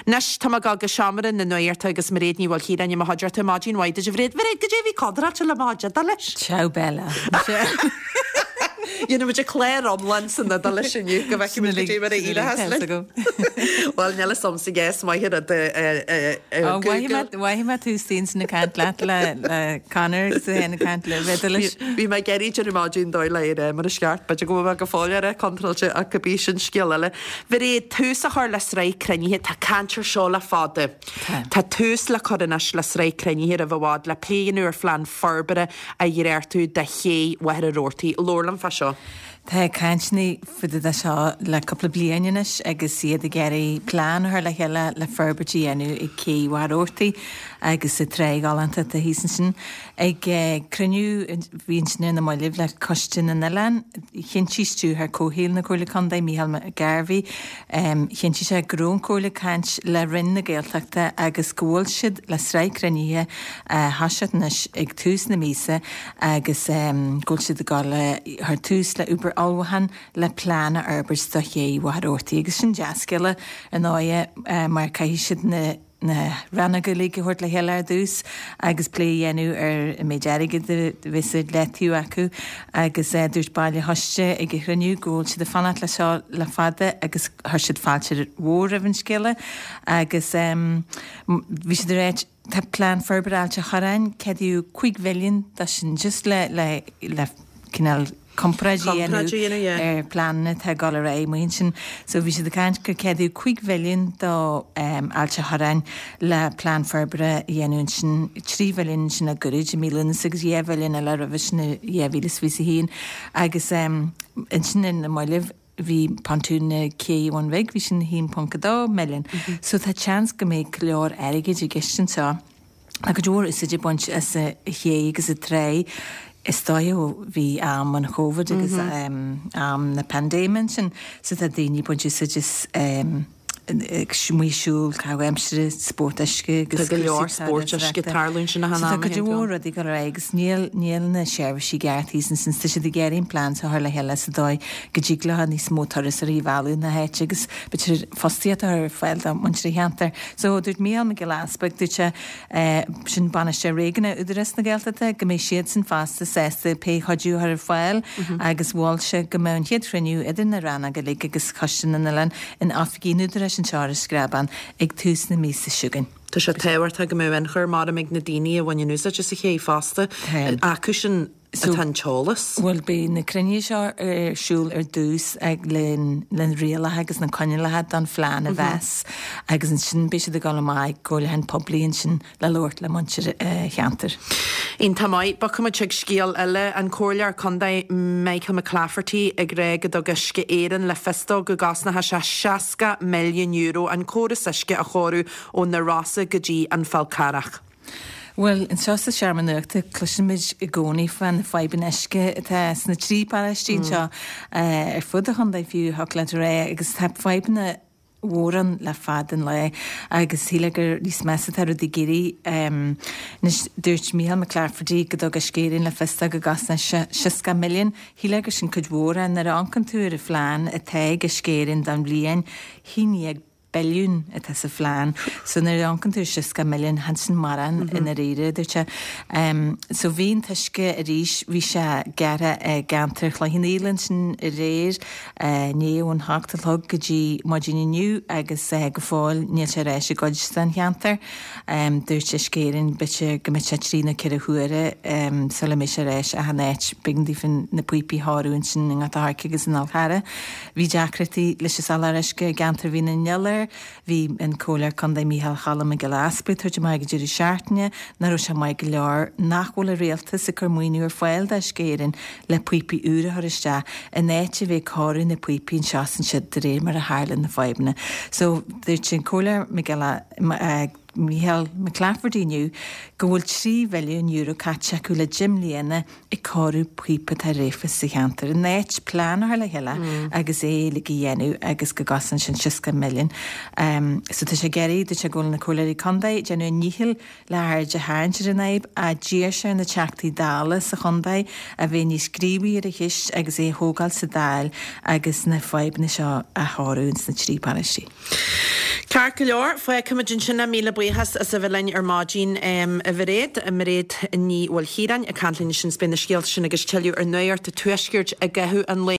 Anois, tá mé ag dul go seomra na nuachta agus Mairéad Ní Mhaoilchiaráin i mo chuideachta. Maidin mhaith duit, a Mhairéad. Mhairéad, goidé a bhí contráilte le mo chuid Iodáilis? Ciao bella. Dhéanfaidh muid clár iomlán san Iodáilis inniu go bhfeicfidh muid goidé mar a éireochas linn. Bhuel, níl a fhios a'msa is maith an rud Ó, Google. Mhothaigh mé tú istigh ansin ag caint leat le Conor agus tú féin ag caint le Iodáilis. Bhí mé ag iarraidh déanamh maidin dóigh le é mar is ceart. B'fhéidir go bhfuil mé go fóill ar contráilte ach cibé sin scéal eile. Mhairéad, tús a chur le sraith cruinnithe, tá caint ar seo le fada. Tá tús le cur anois le sraith cruinnithe roimh i bhfad le plé a dhéanamh ar phlean forbartha a dhréachtú do ché Mhachaire Rabhartaigh. Labhair liom fá seo. Tá cainteanna fá dtaobh de seo le cúpla bliain anois agus iad ag iarraidh plean a chur le chéile le forbairt a dhéanamh ag cé Mhachaire Rabhartaigh agus sa trá ghalánta atá thíos ansin. Ag cruinniú a bhí ansin ar na mallaibh le Coiste na nOileán, chinntigh Stiúrthóir Comhshaoil na Comhairle Contae, Micheál McGarvey, chinntigh sé go raibh an Chomhairle ag caint le Roinn na Gaeltachta agus go bhfuil siad le sraith cruinnithe a thoiseacht anois ag tús na míosa agus go bhfuil siad ag dul a chur tús le obair ullmhúcháin le plean a fhorbairt do ché Mhachaire Rabhartaigh agus sin dea-scéala ar ndóighe mar caithfidh siad na na rannóga uilig a thabhairt le chéile ar dtús agus plé a dhéanamh ar an méid airgid a bheas ar leataobh acu agus dúirt baill an choiste ag an chruinniú go bhfuil siad ag fanacht le seo le fada agus chuir siad fáilte mhór roimh an scéala agus bhí siad ag ráit tá plean forbartha Ailt an Chorráin ceadaíodh 5 mhilliún dó sin just le le le cineál comparáid a dhéanamh ar pleananna atá ag dul ar aghaidh amuigh ansin. So bhí siad ag caint gur ceadaíodh 5 mhilliún do Ailt an Chorráin le plean forbartha a dhéanamh ansin, 3 mhilliún ansin le gairid i mí Lúnasa agus 2 mhilliún eile roimhe sin i 2021 agus ansin ar na mallaibh bhí pontún na Cé Bhun Bhig, bhí sin 1.2 milliún. So tá seans go mbeidh go leor airgid i gceist anseo. Tá cuid mhór úsáid á baint as an ché agus an trá is dóigh ó bhí am an Chóivid agus am na paindéime ansin so tá daoine ag baint úsáid as amuigh ag siúl, caitheamh aimsire, spórt uisce agus Tá go leor spóirt uisce ag tarlú ansin achan am. So tá cuid mhór rudaí ag dul ar aghaidh agus níl níl na seirbhísí ceart thíos ansin tá siad ag iarraidh an plean seo a chur le chéile sa dóigh go dtig leo níos mó turasóirí a mhealladh na háite agus b'fhéidir fostaíocht a chur ar fáil do muintir an cheantair. So, dúirt Mícheál Mac Giolla Easpaig, dúirt sé, sin bainisteoir réigiúnach Údarás na Gaeltachta, go mbeidh siadsan fosta sásta pé cuidiú a chur ar fáil agus mhol sé go mbeadh an chéad chruinniú idir na rannóga uilig agus Coiste na nOileán in oifigí an Údaráis anseo ar an Screabán ag tús na míosa seo chugainn. Tá sé tábhachtach go mbeadh ionchur maram ag na daoine a bhaineann úsáid as an ché fosta, acu sin atá an t-eolas. Bhuel, beidh na cruinnithe seo ar siúl ar dtús le na rialacha agus na coinníollacha don phlean a mheas agus ansin beidh siad ag dul amach ag comhairliúchán poiblí ansin le labhairt le muintir an cheantair. Iontach maith. Bogfaidh muid chuig scéal eile. An Comhairleoir Contae Michael McClafferty ag rá go dtug Uisce Éireann le fios dó go gcosnóidh sé €60 milliún an córas uisce a chóiriú ó na Rosa go dtí an Fál Carrach. Bhuel, anseo sa Seomra Nuachta cloisimid i gcónaí fá na fadhbanna uisce atá sna trí paróistí anseo, ar fud an chontae fiú, thiocfadh leat a rá, agus tá fadhbanna mhóra ann le fada an lá agus shílfeá gur níos measa atá rudaí ag éirí. Anois, dúirt Micheál McClafferty go dtug Uisce Éireann le fios dó go gcosnóidh sé 60 milliún. Shílfeá gur sin cuid mhór ach nuair a amharcann tú ar an phlean atá ag Uisce Éireann don bhliain, 11 billiún atá sa phlean. So nuair a amharcann tú ar 60 milliún, chan sin mórán i ndáiríre, a dúirt sé. So bhí an t-uisce arís, bhí sé gearrtha i gceantar Chloich Cheann Fhaola ansin aréir, inné ón hocht a chlog go dtí maidin inniu agus go fóill níl sé ar ais i gcuid den cheantar. Dúirt Uisce Éireann b'fhéidir go mbeidh sé trí nó ceithre huaire sula mbeidh sé ar ais achan áit. B'éigean daofa na píopaí a chóiriú ansin i nGort a' Choirce agus in Fhál Charrach. Bhí deacrachtaí leis an soláthar uisce i gceantar Mhín an Iolair. Bhí an Comhairleoir Contae Mícheál Cholm Mac Giolla Easpaig ag tabhairt amach ag an deireadh seachtaine nach raibh sé maith go leor nach bhfuil an Rialtas ag cur maoiniú ar fáil d'Uisce Éireann le píopaí úra a chur isteach in áit a bheith ag cóiriú na píopaí anseo is ansiúd de réir mar a tharla na fadhbanna. So, dúirt an Comhairleoir Mac Giolla. Micheál McClafferty inniu go bhfuil €3 mhilliún caite acu le 10 mbliana ag cóiriú píopa atá réabtha sa cheantar. In áit plean a chur le chéile agus é uilig a dhéanamh agus go gcosnaíonn sin 60 milliún. So tá sé ag iarraidh, dúirt sé go bhfuil na comhairleoirí contae ag déanamh a ndícheall le haird a tharraingt ar an fhadhb ach d'iarr sé ar na Teachtaí Dála sa chontae a bheith níos gníomhaí ar an cheist agus é a thógáil sa Dáil agus na fadhbanna seo a chóiriú ins na trí paróistí. Ceart go leor, fágfaimid ansin é. Míle buíochas as a bheith linn ar maidin, a Mhairéad. Mairéad Ní Mhaoilchiaráin ag caint linn ansin is beidh na scéalta sin agus tuilleadh ar Nuacht an Tuaiscirt i gcaitheamh an lae.